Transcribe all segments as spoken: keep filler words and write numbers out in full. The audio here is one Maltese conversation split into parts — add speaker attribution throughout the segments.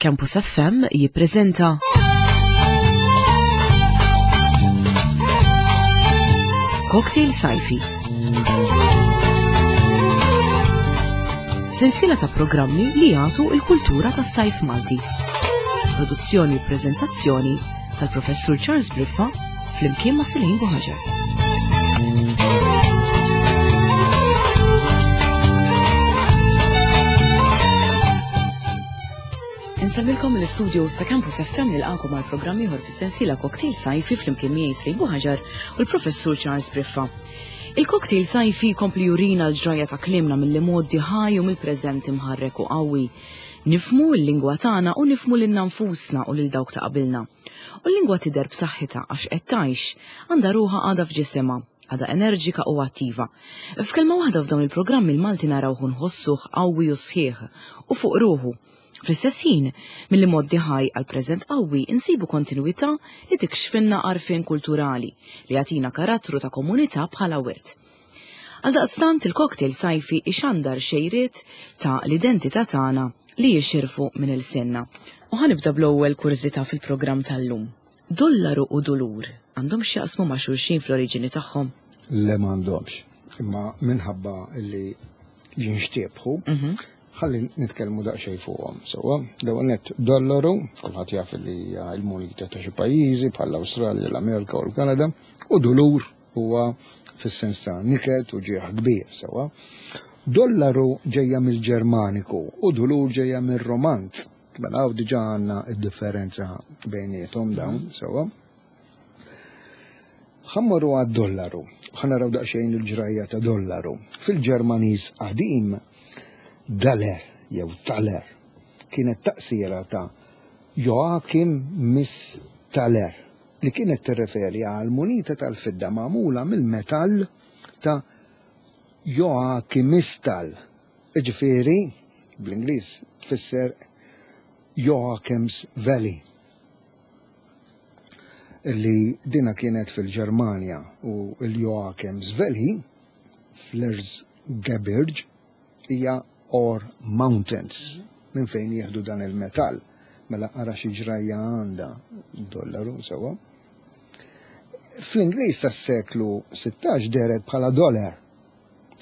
Speaker 1: Campus F M jippreżenta Cocktail Sajfi. Sensiela ta' programmi li jagħtu l-kultura tas-sajf Malti. Produzzjoni u preżentazzjoni tal-Professur Charles Briffa flimkien ma' Celine Buhaġar. Insemmilkom l-istudio ta' Campus F M nilqakom għal programm ieħor fis-sensiela Cocktail Sajfi flimkien miegħi Celine Buhaġar u l-Professur Charles Briffa. Il-Cocktail Sajfi jkompli jurina l-ġrajja ta' kliemna mill-imgħoddi ħaj u mill-preżent imħarrek u qawwi. Nifmu l-lingwa tagħna u nifmu lilna nfusna u lil dawk ta' qabilna. U l-lingwa tidher b'saħħitha għax qed tgħix, għandha ruħha għadha f'ġisimha, għadha enerġika u attiva. F'kelma waħda f'dawn il-programmi l-Malti narawh nħossuh qawwi u sħiħ u fuq ruħu. Fl-istess ħin, milli moddi ħaj għal preżent qawwi insibu kontinwità li tikxfinna għarfien kulturali li jagħtina karattru ta' komunità bħala wirt. Għaldaqstant il-cocktail sajfi ixandar xejriet ta' l-identità tagħna li jixirfu minn il-sinna. U ħanibda bl-ewwel kurżità fil-programm tal-lum. Dollaru u dulur għandhom x'jaqsmu ma' xulxin fl-oriġini tagħhom?
Speaker 2: Le m'għandhomx, imma minħabba li jinxtiebħu,
Speaker 1: Mhm.
Speaker 2: ħalli nitkellmu daqsxejn fuqhom. Sewwa, l-ewwel nett dollaru, kulħadd jaf li hija l-munita ta' xi pajjiżi bħal l-Awstralja, l-Amerika u l-Kanada, u dulur huwa fis-sens ta' niket u ġieħ kbir, sewwa. Dollaru ġejja mill-Ġermaniku u dulur ġejja mir-Romanz. Mela hawn diġà għandna d-differenza bejniethom dawn, sewwa. Ħammorru għad-dollaru, ħa naraw daqsxejn il-ġrajja ta' dollaru. Fil-Ġermaniż qadim, Daler jew Taler kienet taqsira ta' Joachim Miss Taler li kienet tirreferi għal munita tal-fidda magħmula mill-metall ta' Joachimistal. Iġifieri, bl-Ingliż tfisser Joachim's Valley, li dina kienet fil-Ġermanja, u l-Joachim's Valley fl-Erzgebirge hija Ore Mountains, minn fejn jieħdu dan il-metall. Mela ara xi ġrajja għandha dollaru sewwa. Fl-Ingliż tas-seklu sittax dehret bħala dollar,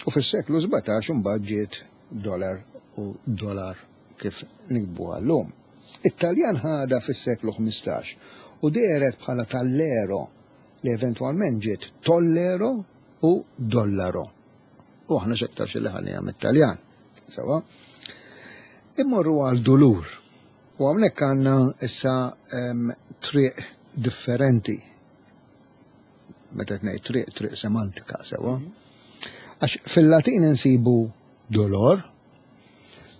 Speaker 2: u fis-seklu sbatax imbagħad ġiet dollar u dollar kif nikbu llum. It-Taljan ħadha fis-seklu ħmistax u dehret bħala tallero, li eventwalment ġiet tollero u dollaro. U aħna x'aktar xi li ħalliha mit-Taljan. Sewa. Immorru għal dulur. U hawnhekk għandna issa, em, triq differenti. Meta qed ngħid triq, triq semantika, sewa. Għax fil-Latin insibu dolor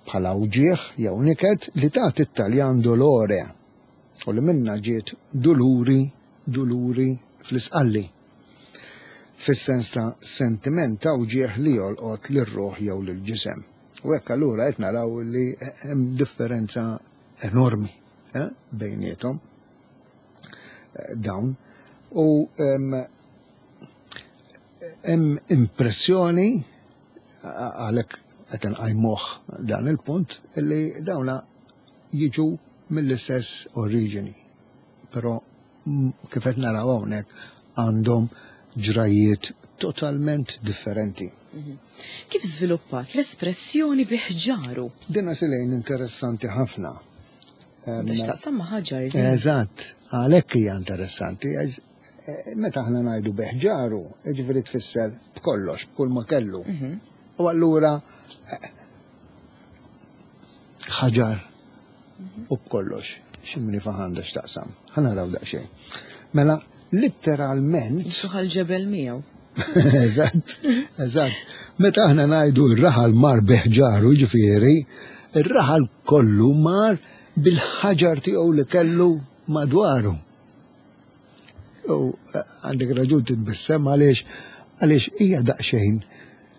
Speaker 2: bħala uġieħ jew niket li tagħti it-Taljan dolore, u li minna ġiet duluri, duluri fl-isqalli, fis-sens ta' sentiment ta' uġieħ li jolqot lir-ruħ jew lill-ġisem. U hekk allura qed naraw li hemm differenza enormi, eh, bejniethom, eh, dawn. U, em, hemm impressjoni, għalhekk qed inqajmuh dan il-punt, li dawna jiġu mill-istess oriġini, però m-, kif qed naraw hawnhekk għandhom ġrajiet totalment differenti.
Speaker 1: Mhm. Kif żviluppat l-espressjoni biħġaru?
Speaker 2: Dina silejn interessanti ħafna. Em,
Speaker 1: Għax taqsam ma' ħaġar din.
Speaker 2: Eżatt, għalhekk hija interessanti. Għax, eh, meta aħna ngħidu biħġaru, jiġifieri tfisser b'kollox, b'kull ma kellu.
Speaker 1: Mhm.
Speaker 2: U allura, eh, ħaġar u b'kollox, x'imni faħanda x'taqsam. Ħa naraw daqsxejn. Mela, letteralment
Speaker 1: Suħal ġebel miegħu.
Speaker 2: Eżatt, eżatt. Meta aħna ngħidu r-raħal mar biħġaru, jiġifieri, ir-raħal kollu mar bil-ħaġar tiegħu li kellu madwaru. U, eh, għandek raġun titbissem għaliex, għaliex hija daqsxejn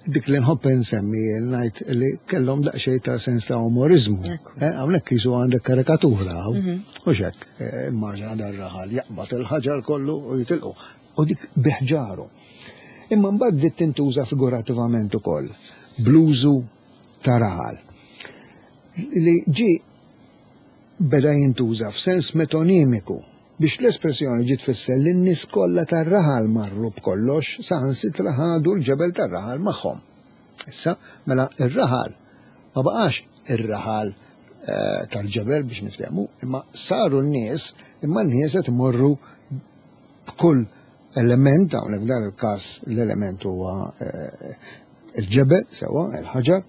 Speaker 2: dik li nħobb insemmi ngħid li kellhom daqsxejn ta' sens ta' umorizmu.
Speaker 1: Ekku.
Speaker 2: Eh, hawnhekk qisu għandek karikatura hawn.
Speaker 1: Mhm.
Speaker 2: U x'hekk, eh, immaġina dan raħal jaqbad il-ħaġar kollu u jitilqu. U dik biħġaru. Imma mbagħad bdiet tintuża figurativament ukoll bl-użu ta' raħal li ġie beda jintuża f'sens metonimiku biex l-espressjoni ġiet tfisser li n-nies kollha tar-raħal marru b'kollox, saħansitra ħadu l-ġebel tar-raħal magħhom. Issa, mela ir-raħal ma baqax ir-raħal eh, tal-ġebel biex niftehmu, imma saru n-nies, imma n-nies qed imorru b'kull element, hawnhekk f'dan il-każ l-element huwa eh, il-ġebel, sewwa, il-ħaġar,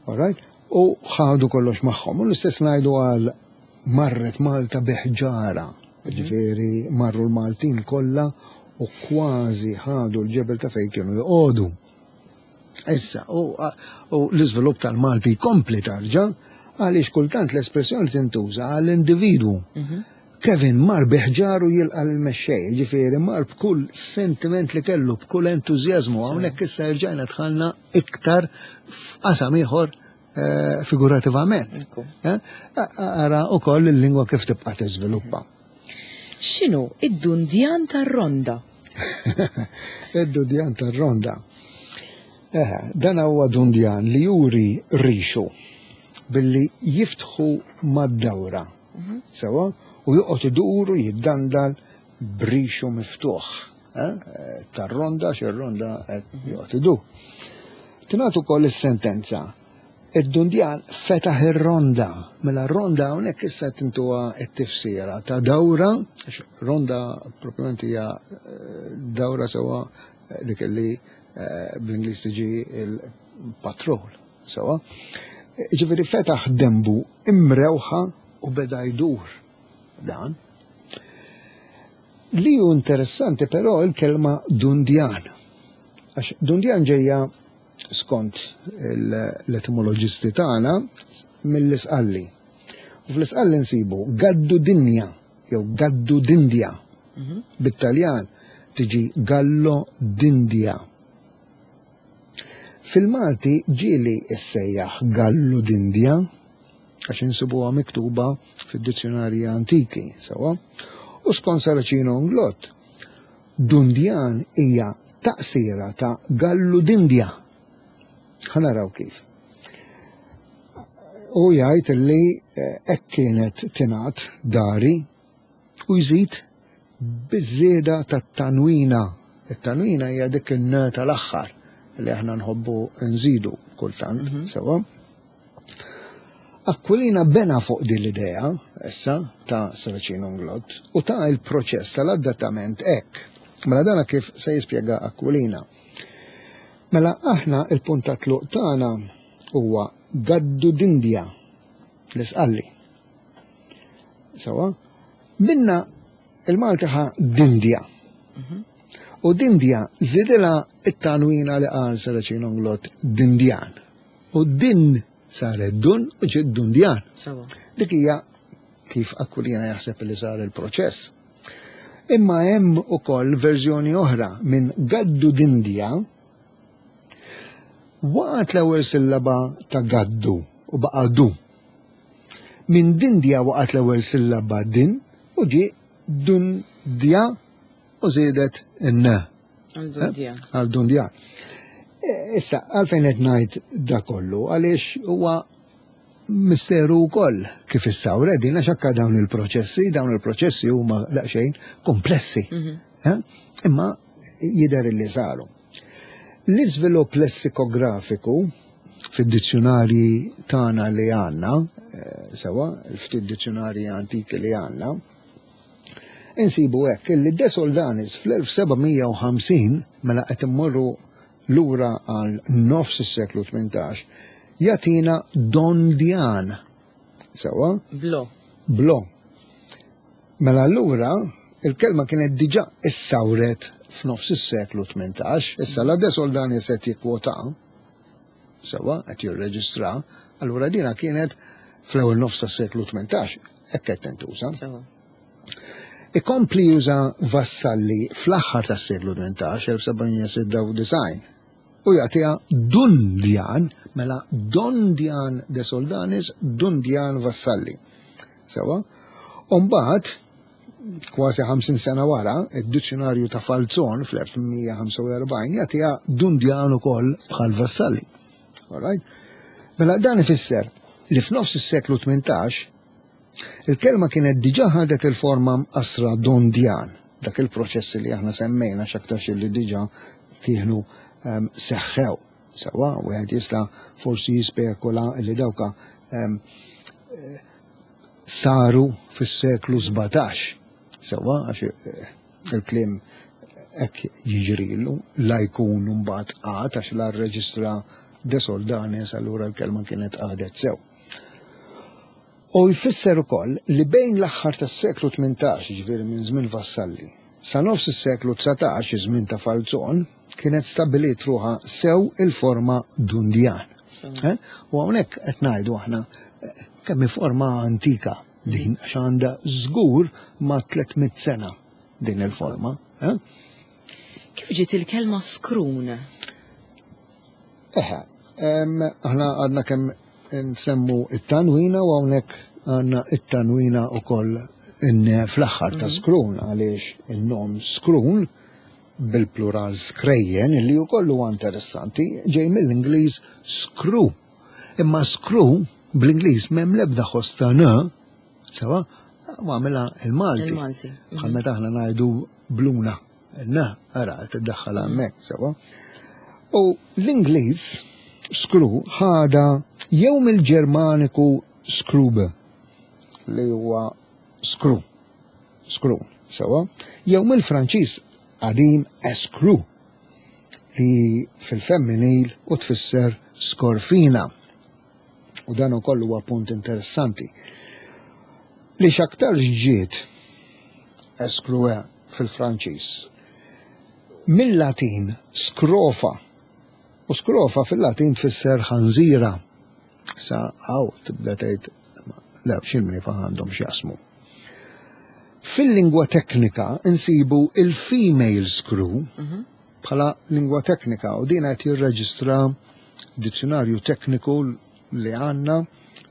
Speaker 2: all right, u ħadu kollox magħhom. U l-istess ngħidu għal marret Malta biħġara, ġifieri marru l-Maltin kollha u kważi ħadu l-ġebel ta' fejn kienu joqogħdu. Issa, u, u l-iżvilupp tal-Malti jkompli tarġa' għaliex kultant l-espressjoni tintuża għall-individwu. Kevin mar biħġaru jilqa l-mexxej, ġifieri mar b'kull sentiment li kellu, b'kull entużjażmu, hawnhekk issa rġajna dħalna iktar f'qasam ieħor eh, figurativament.
Speaker 1: Ekku.
Speaker 2: Eh? Ara ukoll il-lingwa kif tibqa' tiżviluppa.
Speaker 1: X'inhu id-dundjan tar-ronda?
Speaker 2: Id-dundjan tar-ronda. Eh, dan huwa dundjan li juri rixu billi jiftħu mad-dawra. Sewwa, u joqgħod idur u jiddandal b'rixu miftuħ. Eh, tar-ronda, xir-ronda qed joqgħod idur. Tingħad ukoll is-sentenza. Id-dundjan fetaħ ir-ronda. Mela r-ronda hawnhekk issa tintuha t-tifsira ta' dawra, għax ronda propjament hija eh, dawra sewwa eh, dik li eh, bl-Ingliż tiġi il-patrol, sewwa. Ġifieri fetaħ dembu imrewħa u beda jdur dan. Li hu interessanti però il-kelma dundjan. Għax dundjan ġejja skont l-etimoloġisti tagħna mill-Isqalli. U fl-Isqalli nsibu gaddu dinja jew gaddu dindja. Bit-Taljan tiġi gallo d'India. Fil-Malti ġieli issejjaħ gallu d'India għax insibuha miktuba fid-dizzjonarji antiki, sewwa. U skont Saracino Inglott, dundjan hija taqsira ta' gallu d'India. Ħa naraw kif. U jgħid li eh, hekk kienet tingħad dari u jżid biż-żieda tat-tanwina. It-tanwina hija dik in tal-aħħar li aħna nħobbu nżidu kultant, sewwa. Aquilina bena fuq din l-idea, issa, ta' Saracino Inglott, u ta' il-proċess tal-adattament hekk. Mela dana kif se jispjega Aquilina. Mela aħna il-punt ta' tluq tagħna huwa gaddu d'Indja l-Isqalli. Sewwa, minna il-Malti ħa Dindja. U Dindja żidilha it-tanwina li qal Saracino Inglott Dindjan. U din saret dun u ġiet Dundjan.
Speaker 1: Sewwa.
Speaker 2: Dik hija kif Aquilina jaħseb li sar il-proċess. Imma hemm ukoll verżjoni oħra minn Gaddu d'Indja waqgħet l-ewwel sillaba ta' gaddu u baqa' du. Minn Dindja waqgħet l-ewwel sillaba din u ġie Dundja u żiedet n.
Speaker 1: Għal dundjan.
Speaker 2: Għal Dundjan. E, Issa, għalfejn qed ngħid da kollu, għaliex huwa misteru wkoll kif issawret din għax anke dawn il-proċessi, dawn il-proċessi huma daqsxejn komplessi. Eh? Imma jidher li saru. L-iżvilupp lessikografiku fid-dizzjonarji tagħna li għandna, eh, sewwa, il-ftit dizzjonarji antiki li għandna, insibu hekk illi De Soldanis fl-elf seba' mija u ħamsin, mela qed immorru lura għal nofs is-seklu tmintax, jagħtina Dondjan. Sewwa?
Speaker 1: Blo.
Speaker 2: Blo. Mela allura il-kelma kienet diġà issawret f'nofs is-seklu tmintax, issa la De Soldanis qed jikkwota, sewwa, qed jirreġistra, allura dina kienet fl-ewwel nofs tas-seklu tmintax, hekk qed tintuża.
Speaker 1: Sewwa.
Speaker 2: Ikompli juża Vassalli fl-aħħar tas-seklu tmintax, elf seba' mija u sitta u disgħin, u jagħtiha Dundjan, mela Dondjan De Soldanis, Dundjan Vassalli. Sewwa? U mbagħad, kważi ħamsin sena wara, id-dizzjonarju ta' Falzon fl-elf tmien mija u ħamsa u erbgħin jagħtiha Dundjan ukoll bħal Vassalli. All right? Mela dan ifisser li f'nofs is-seklu tmintax Il-kelma kienet diġà ħadet il-forma mqassra Dondjan, dak il-proċessi li aħna semmejna x'aktarx li diġà kienu um, seħħew. Sewwa, wieħed jista' forsi jispekula li dawka um, saru fis-seklu sbatax. Sewwa, għax eh, il-kliem hekk jiġrilu, la jkun mbagħad qagħad għax la rreġistra De Soldanis, allura l-kelma kienet qagħdet sew. U jfisser ukoll li bejn l-aħħar tas-seklu tmintax, jiġifieri minn żmien Vassalli, sa nofs is-seklu dsatax, iż-żmien ta' Falzon, kienet stabbiliet ruħha sew il-forma Dundjan. Eh? U hawnhekk qed ngħidu aħna eh, kemm hi forma antika din, għax għandha żgur ma' tliet mitt sena din il-forma. Eh?
Speaker 1: Kif ġiet il-kelma skrun?
Speaker 2: Eħe, aħna għadna kemm nsemmu it-tanwina u hawnhekk għandna it-tanwina wkoll fl-aħħar ta' skrun, għaliex in-nom skrun bil-plural skrejjen, illi wkoll huwa interessanti, ġej mill-Ingliż screw. Imma screw bl-Ingliż m'hemm l-ebda ħoss ta' n, sewa, u għamilha il-Malti.
Speaker 1: Il-Malti.
Speaker 2: Bħal meta aħna ngħidu bluna, n, ara, tiddaħħal hemmhekk, sewa. U l-Ingliż screw ħada jew mill-Ġermaniku skrube, li huwa screw, screw, sewa, jew mill-Franċiż qadim escrew, li fil-femminil u tfisser skorfina. U dan ukoll huwa punt interessanti. Li x'aktar ġiet escrew fil-Franċiż mill-Latin scrofa, u scrofa fil-Latin tfisser ħanżira. Sa għaw tibda tgħid le x'il-mnifa għandhom x'jaqsmu. Fil-lingwa teknika insibu il-female screw bħala lingwa teknika, u din qed jirreġistra dizzjonarju tekniku li għandna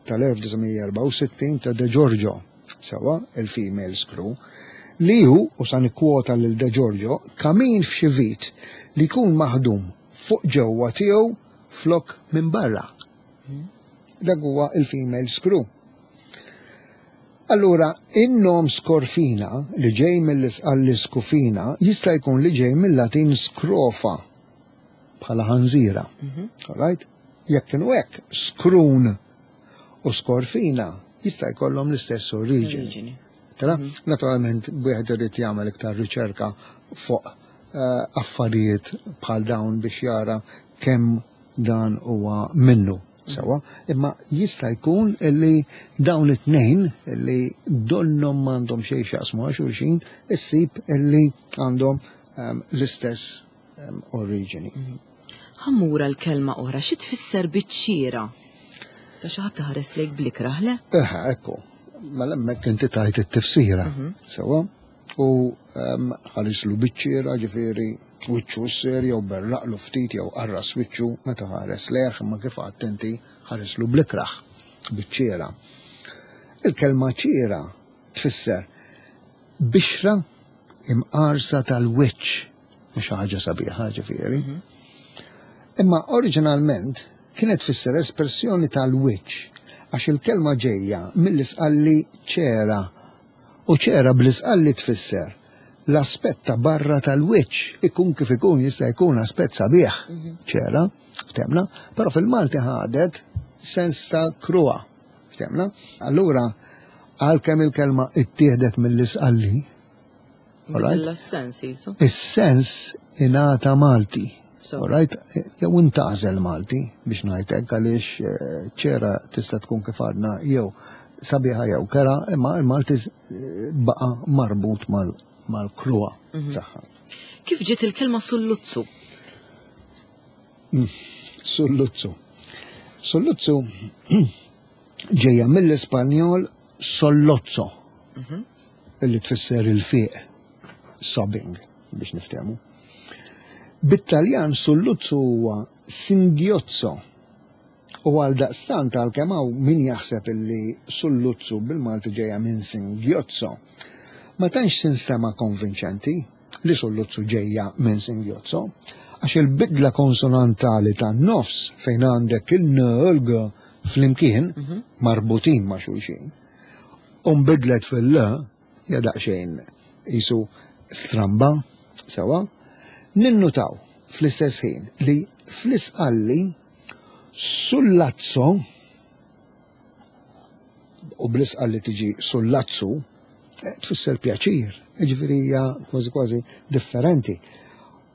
Speaker 2: tal-elf disa' mija erbgħa u sittin ta' De Giorgio, sewa il-female screw, li hu, u sa nikkwota lil De Giorgio, kamin f'xi vit li jkun maħdum fuq ġewwa tiegħu flok minn barra. Dak huwa il-female screw. Allura, in-nom skorfina li ġej mill-isqalli skufina jista' jkun li ġej mill-Latin scrofa bħala ħanżira.
Speaker 1: Mhm.
Speaker 2: All right? Jekk kienu hekk, skrun u skorfina jista' jkollhom l-istess oriġini.
Speaker 1: Oriġini.
Speaker 2: Tara?
Speaker 1: Mhm.
Speaker 2: Naturalment, wieħed irid jagħmel iktar riċerka fuq, eh, affarijiet bħal dawn biex jara kemm dan huwa minnu. Sewa, imma jista' jkun illi dawn it-tnejn illi donhom m'għandhom xejn x'jaqsmu għal xulxin, issib illi għandhom, ehm, l-istess, ehm, oriġini.
Speaker 1: Mhm. Ħammura l-kelma oħra, xi tfisser biċ-ċiera? Ta' xi ħadd taħares lejk blikraħ, le?
Speaker 2: Eħe, ekku. Mela hemmhekk inti tajt it-tifsira.
Speaker 1: Mhm.
Speaker 2: Sewa, u, ehm, ħarislu biċ-ċiera, ġifieri wiċċu s-ser jew berraqlu ftit jew qarras wiċċu meta ħares leħ, imma kif għedt inti ħareslu blikraħ biċ-ċiera. Il-kelma ċiera tfisser bixra imqarsa tal-wiċċ, mhux xi ħaġa sabiħa ġifieri.
Speaker 1: Mhm.
Speaker 2: Imma oriġinalment kienet tfisser espressjoni tal-wiċċ għax il-kelma ġejja mill-isqalli ċera, u ċera bl-isqalli tfisser l-aspett ta' barra tal-wiċċ, ikun kif ikun jista' jkun aspett sabiħ,
Speaker 1: Mhm.
Speaker 2: ċera, ftemna, però fil-Malti ħadet sens ta' kruha, ftemna. Allura, għalkemm il-kelma ittieħdet mill-isqalli, all right?
Speaker 1: Bidilla s-sens jisu.
Speaker 2: Is-sens ingħata Malti.
Speaker 1: So.
Speaker 2: All right? Jew intgħażel Malti biex ngħid hekk, għaliex, eh, ċera tista' tkun kif għadna jew sabiħa jew kera, imma il-Malti, eh, baqa' marbut mal-, mal-kruha
Speaker 1: Mhm.
Speaker 2: tagħha.
Speaker 1: Kif ġiet il-kelma sulluzzu?
Speaker 2: Mm, sulluzzu. Sulluzzu ġejja mill-Ispanjol sollozzo,
Speaker 1: Mhm.
Speaker 2: illi tfisser il-fiq, sobbing, biex niftehmu. Bit-Taljan sulluzzu huwa singhiozzo. U għal daqstant għalkemm hawn min jaħseb illi sulluzzu bil-Malti ġejja minn singhiozzo, ma tantx tinstema' konvinċenti li sulluzzu ġejja minn singhiozzo, għax il-bidla konsonantali tan-nofs fejn għandek il-n u l-g flimkien
Speaker 1: Mhm.
Speaker 2: marbutin ma' xulxin, u nbidlet fil-L, hija daqsxejn qisu stramba, sewa. Ninnutaw fl-istess ħin li fl-Isqalli sullazzo u bl-Isqalli tiġi sullazzu eh, tfisser pjaċir, jiġifieri hija kważi kważi differenti.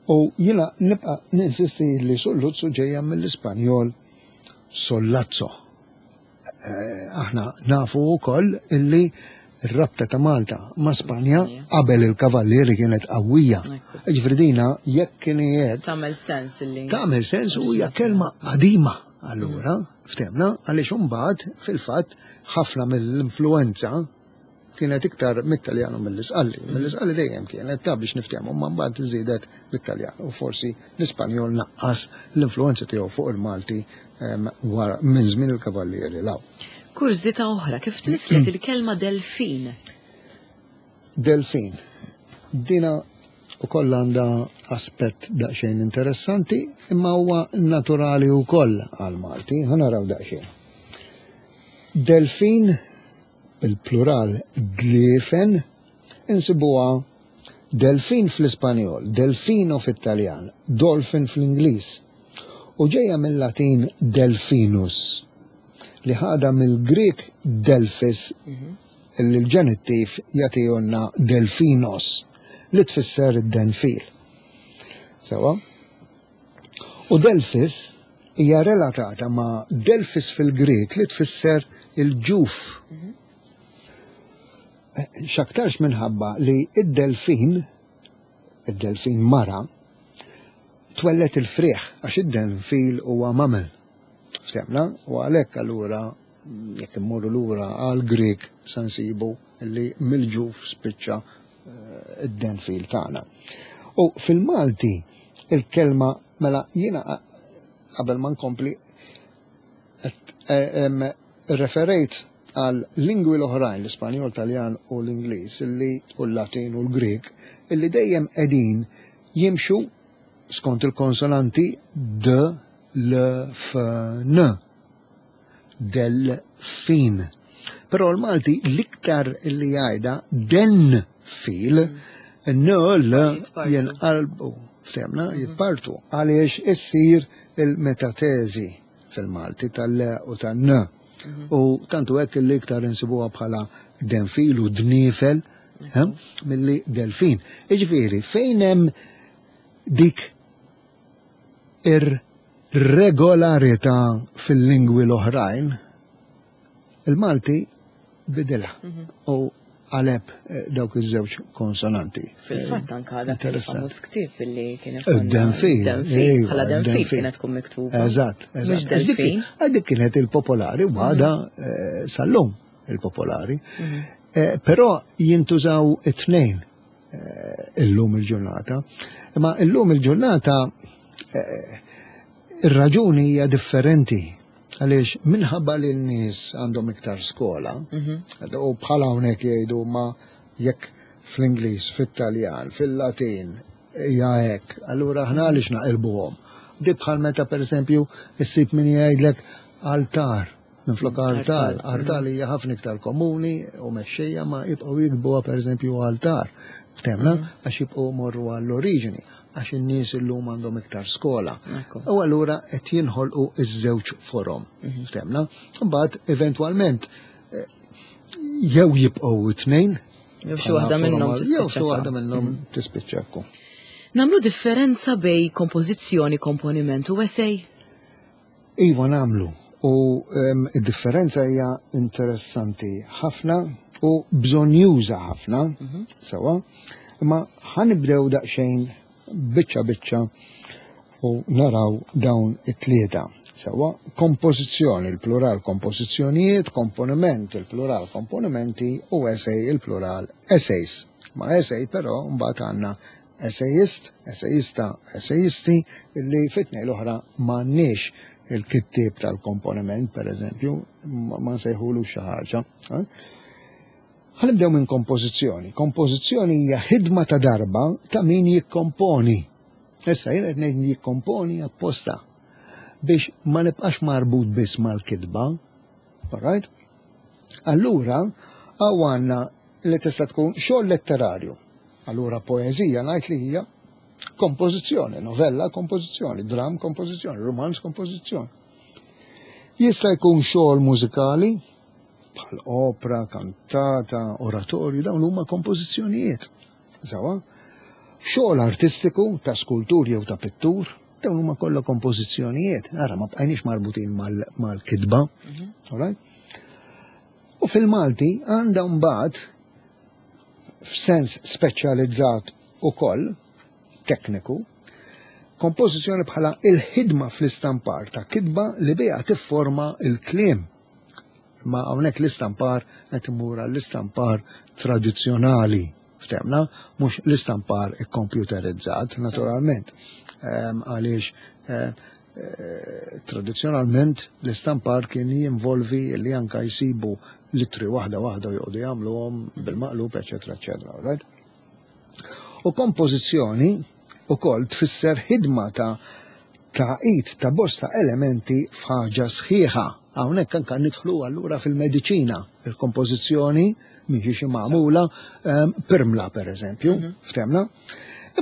Speaker 2: U jiena nibqa' ninsisti li sulluzzu ġejja mill-Ispanjol sollazzo. Eh, aħna nafu wkoll illi r-rabta ta' Malta ma' Spanja
Speaker 1: Spanja.
Speaker 2: qabel il-kavallieri kienet qawwija.
Speaker 1: Ekku.
Speaker 2: Jiġifieri dina jekk kien hekk
Speaker 1: Tagħmel sens illi.
Speaker 2: tagħmel sens u hija kelma qadima allura, ftehmna, għaliex imbagħad fil-fatt ħafna mill-influenza kienet iktar mit-Taljan u mill-Isqalli. Mill-Isqalli dejjem kienet ta' biex niftehmu, ma mbagħad żiedet mit-Taljan u forsi l-Ispanjol naqqas l-influenza tiegħu fuq il-Malti em, wara minn żmien il-Kavallieri 'l hawn.
Speaker 1: Kurżità oħra, kif tnislet il-kelma delfin?
Speaker 2: Delfin. Dina ukoll għandha aspett daqsxejn interessanti, imma huwa naturali wkoll għal-Malti. Ħa naraw daqsxejn. Delfin, bil-plural dliefen, insibuha delfin fl-Ispanjol, delfino fit-Taljan, dolphin fl-Ingliż. U ġejja mill-Latin delfinus, li ħada mill-Grek delphis, illi l-ġenittiv jagħtihulna delfinos, li tfisser id-denfil. Sewa? U delphis hija relatata ma' delphis fil-Grek li tfisser il-ġuf. Eh, X'aktarx minħabba li id-delfin, id-delfin mara, twellet il-friħ, għax id-delfin huwa mamel. Ftehmna? U għalhekk allura jekk immorru lura għal Grek sa nsibu li mill-ġuf spiċċa eh, id-denfil tagħna. U fil-Malti il-kelma mela jiena qabel ma nkompli qed, eh, em, referejt għal lingwi l-oħrajn, l-Ispanjol, Taljan u l-Ingliż, illi u l-Latin u l-Grek, illi dejjem qegħdin jimxu skont il-konsonanti D, L, F, N. Delfin. Però l-Malti l-iktar li jgħidha den fil, N, L
Speaker 1: Jitpartu.
Speaker 2: jenqalbu, ftehmna, jitpartu, għaliex issir il-metatezi fil-Malti tal-L u tal-N. U tantu hekk li iktar insibuha bħala denfil u dnifel, eh, milli delfin. Iġifieri, fejn hemm dik ir-regolarità fil-lingwi l-oħrajn, il-Malti bidilha u qaleb eh, dawk iż-żewġ konsonanti.
Speaker 1: Fil-fatt anka dak
Speaker 2: Interessanti.
Speaker 1: il-famuż ktieb illi kien
Speaker 2: Id-denfil.
Speaker 1: Denfil,
Speaker 2: iva,
Speaker 1: bħala denfil
Speaker 2: id-denfil.
Speaker 1: kienet tkun miktuba.
Speaker 2: Eżatt, eżatt.
Speaker 1: Mhux delfin.
Speaker 2: Għax dik kienet il-popolari u għada eh, sal-lum il-popolari. Eh, Però jintużaw it-tnejn eh, illum il-ġurnata. Ma illum il-ġurnata eh, ir-raġuni hija differenti. Għaliex minħabba li n-nies għandhom iktar skola, u bħala hawnhekk jgħidu ma jekk fl-Ingliż, fit-Taljan, fil-Latin, hija hekk, allura aħna għaliex naqilbuhom. Di bħal meta pereżempju issib min jgħidlek altar, minflok artal. Artal hija ħafna iktar komuni u mexxejja ma jibqgħu jiktbuha pereżempju altar. Ftehmna għax jibqgħu morru għall-oriġini, għax in-nies illum għandhom iktar skola.
Speaker 1: Ekku.
Speaker 2: U allura qed jinħolqu iż-żewġ forom. Ftehmna? Mbagħad eventwalment eh, jew jibqgħu it-tnejn,
Speaker 1: Jew xi waħda minnhom
Speaker 2: Jew xi
Speaker 1: tispiċċa.
Speaker 2: waħda minnhom tispiċċa ekku.
Speaker 1: Nagħmlu differenza bejn kompożizzjoni, komponiment u essay?
Speaker 2: Iva nagħmlu. U em, id-differenza hija interessanti ħafna u bżonjuża ħafna, sewa, imma ħa nibdew daqsxejn biċċa biċċa u naraw dawn it-tlieta. Sewa, kompożizzjoni, il-plural kompożizzjonijiet, komponiment, il-plural komponimenti u essay, il-plural essays. Ma essay però mbagħad għandna essayist, essayista, essayisti, illi fit-tnejn l-oħra m'għandniex il-kittieb tal-komponiment, per eżempju, ma ma nsejħulu xi ħaġa. eh? Ħa nibdew minn kompożizzjoni. Kompożizzjoni hija ħidma ta' darba ta' min jikkomponi. Issa jien qed ngħid jikkomponi apposta biex ma nibqax marbut biss mal-kitba. Alright? Allura, Hawn għandna li tista' tkun xogħol letterarju. Allura poeżija ngħid li hija kompożizzjoni, novella kompożizzjoni, dram kompożizzjoni, romanz kompożizzjoni. Jista' jkun xogħol mużikali bħal opera, kantata, oratorju, dawn huma kompożizzjonijiet. Sawa? Xogħol artistiku ta' skultur jew ta' pittur, dawn huma kollha kompożizzjonijiet. Ara ma bqajniex marbutin mal-kitba. Alright? U fil-Malti għandha mbagħad f'sens speċjalizzat ukoll tekniku, kompożizzjoni bħala il-ħidma fl-istampar ta' kitba li biha tifforma il-kliem. Ma hawnhekk l-istampar qed imur l-istampar tradizzjonali ftemna, mhux l-istampar ikkompjuterizzat naturalment. Ehm, Għaliex eh, eh, tradizzjonalment l-istampar kien jinvolvi li anka jsibu litri waħda waħda u joqogħdu jagħmluhom bil-maqlub, eċetera, eċetera, right? U kompożizzjoni ukoll tfisser ħidma ta' tagħqid ta' bosta elementi f'ħaġa sħiħa. Hawnhekk anka nidħlu allura fil-mediċina, il-kompożizzjoni mhix xi magħmula ehm, pirmla pereżempju, ftemna.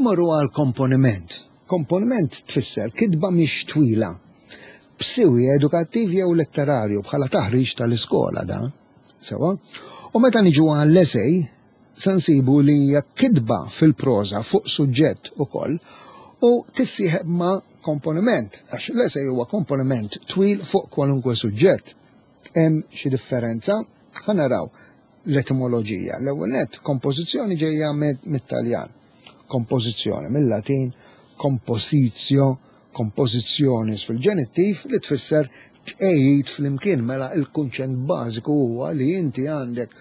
Speaker 2: Imorru għal komponiment. Komponiment tfisser kitba mhix twila. B'siwi edukattiv jew letterarju bħala taħriġ tal-iskola da. Sewa. U meta niġu għall-essay, se nsibu li hija kitba fil-proża fuq suġġett ukoll u tissieħeb ma' komponiment, għax l-essay huwa komponiment twil fuq kwalunkwe suġġett. Hemm xi differenza? Ħa naraw l-etimoloġija. L-ewwel nett kompożizzjoni ġejja mit-Taljan. Kompożizzjoni mill-Latin compositio, compositionis fil-ġenittiv li tfisser tqejjid flimkien mela il-kunċett bażiku huwa li inti għandek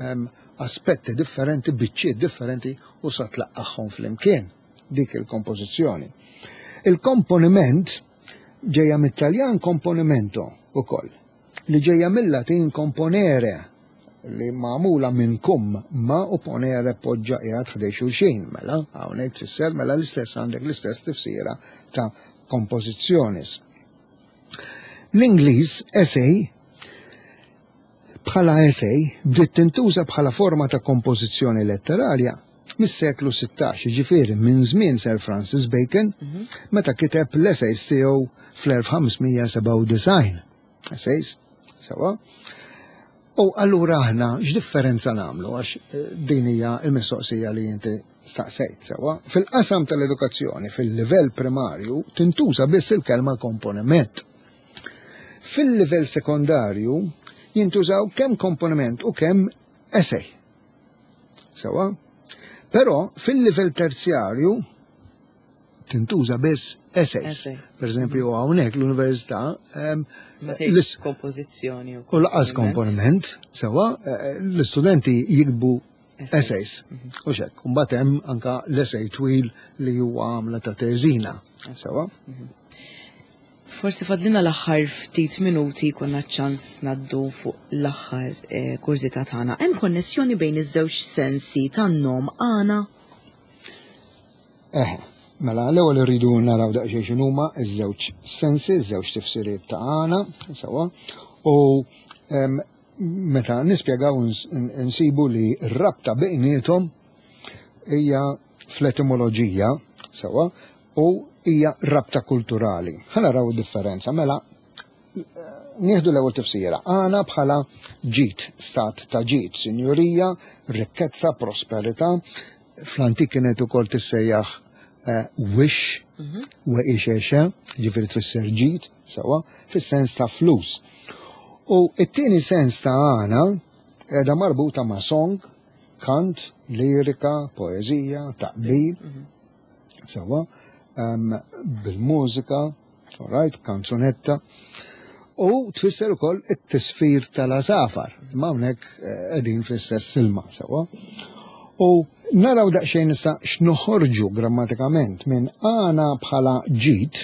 Speaker 2: ehm, aspetti differenti, biċċiet differenti u sa tlaqqagħhom flimkien dik il-kompożizzjoni. Il-komponiment ġejja mit-Taljan componimento ukoll, li ġejja mill-Latin componere, li magħmula minn cum ma u ponere poġġa qiegħed ħdej xulxin, mela hawnhekk tfisser mela l-istess għandek l-istess tifsira ta' compositionis. L-Ingliż essay bħala essay bdiet tintuża bħala forma ta' kompożizzjoni letterarja mis-seklu sittax, ġifieri minn żmien Sir Francis Bacon, meta kiteb l-essays tiegħu fl-elf ħames mija sebgħa u disgħin. Essays, sewa. U allura aħna x'differenza nagħmlu, għax eh, din hija l-mistoqsija li inti staqsejt sewa. Fil-qasam tal-edukazzjoni fil-livell primarju tintuża biss il-kelma komponiment. Fil-livell sekondarju jintużaw kemm komponiment u kemm essay. Sewa? Però fil-livell terzjarju tintuża biss essays.
Speaker 1: Essay.
Speaker 2: Per eżempju, hawnhekk l-università em,
Speaker 1: Ma tgħidx
Speaker 2: l-is-
Speaker 1: kompożizzjoni
Speaker 2: u lanqas komponiment, sewa, eh, l-istudenti jiktbu
Speaker 1: Essay.
Speaker 2: essays. U xek, mbagħad hemm anka l-essay twil li huwa għamla ta' teżina. Sewa?
Speaker 1: Forsi fadlina l-aħħar ftit minuti konna ċans ngħaddu fuq l-aħħar eh, kurżità tagħna. Hemm konnessjoni bejn iż-żewġ sensi tan-nom għana?
Speaker 2: Eħe, mela l-ewwel irridu naraw daqsxejn x'inhuma ż-żewġ sensi, iż-żewġ tifsiriet ta' għana, sewa, u em, meta nispjegaw ns- nsibu li r-rabta bejniethom hija fl-etimoloġija, sewa, u hija rabta kulturali. Ħa naraw id-differenza, mela nieħdu l-ewwel tifsira. Għana bħala ġid, stat ta' ġid, sinjurija, rikkezza, prosperità. Fl-antik kienet ukoll tissejjaħ eh, wish, u ixexe, ġifieri tfisser ġid, sewa, fis-sens ta' flus. U it-tieni sens ta' għana qiegħda marbuta ma' song, kant, lirika, poezija, taqbil, sewa, um, bil-mużika, alright, kanzunetta, u tfisser ukoll it-tisfir tal-għasafar. Imma hawnhekk eh, qegħdin fl-istess silma, sewa. U naraw daqsxejn issa x'noħorġu grammatikament minn għana bħala ġid,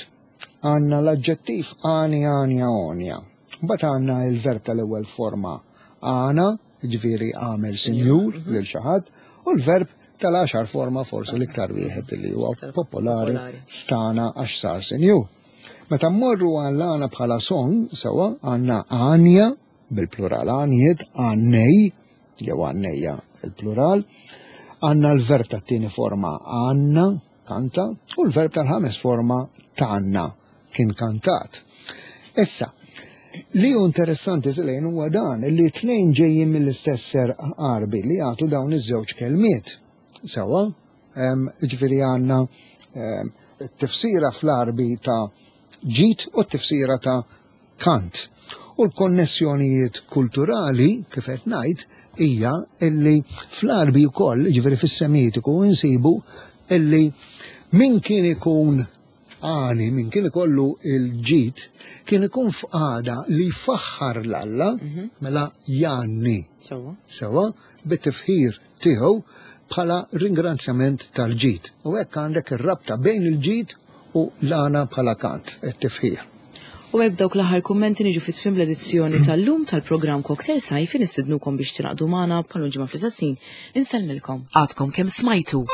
Speaker 2: għandna l-aġġettiv għani, għanja, għonja. Mbagħad għandna il-verb tal-ewwel forma għana, ġifieri għamel sinjur lil xi ħadd, u l-verb tal-għaxar forma forsi l-iktar wieħed li huwa
Speaker 1: Iktar
Speaker 2: popolari
Speaker 1: popolari.
Speaker 2: stana għax sar sinjur. Meta mmorru għall-għana bħala song, sewa, għandna għanja, bil-plural għanjiet, għannej, jew għannejja il-plural. Għandna l-verb tat-tieni forma għanna, kanta, u l-verb tal-ħames forma tanna, kien kantat. Issa, li hu interessanti silejn huwa dan li tnejn ġejjin mill-istess serq Għarbi li jagħtu dawn iż-żewġ kelmiet. Sewwa, ġifieri għandna t-tifsira fl-Għarbi ta' ġid u t-tifsira ta' kant. U l-konnessjonijiet kulturali, kif qed ngħid, hija illi fl-Għarbi wkoll, ġifieri fis-Semitiku, insibu illi min kien ikun għani, min kien ikollu il-ġid, kien ikun f'qagħda li jfaħħar l-Alla, mela jgħanni.
Speaker 1: Sewwa.
Speaker 2: Sewwa, bit-tifħir tiegħu bħala ringrazzjament tal-ġid. U hekk għandek ir-rabta bejn il-ġid u l-għana bħala kant, it-tifħir.
Speaker 1: U hekk dawk l-aħħar kummenti niġu fi tmiem l-edizzjoni tal-lum tal-programm Cocktail Sajfi. Nistidnukom biex tingħaqdu magħna bħal ġimgħa fl-istess ħin. Insellmilkom. Għadkom kemm smajtu.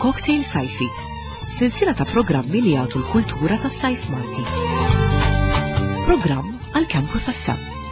Speaker 1: Cocktail Sajfi, silsila ta' programmi li jagħtu l-kultura tas-sajf Malti. Programm għal Campus F M.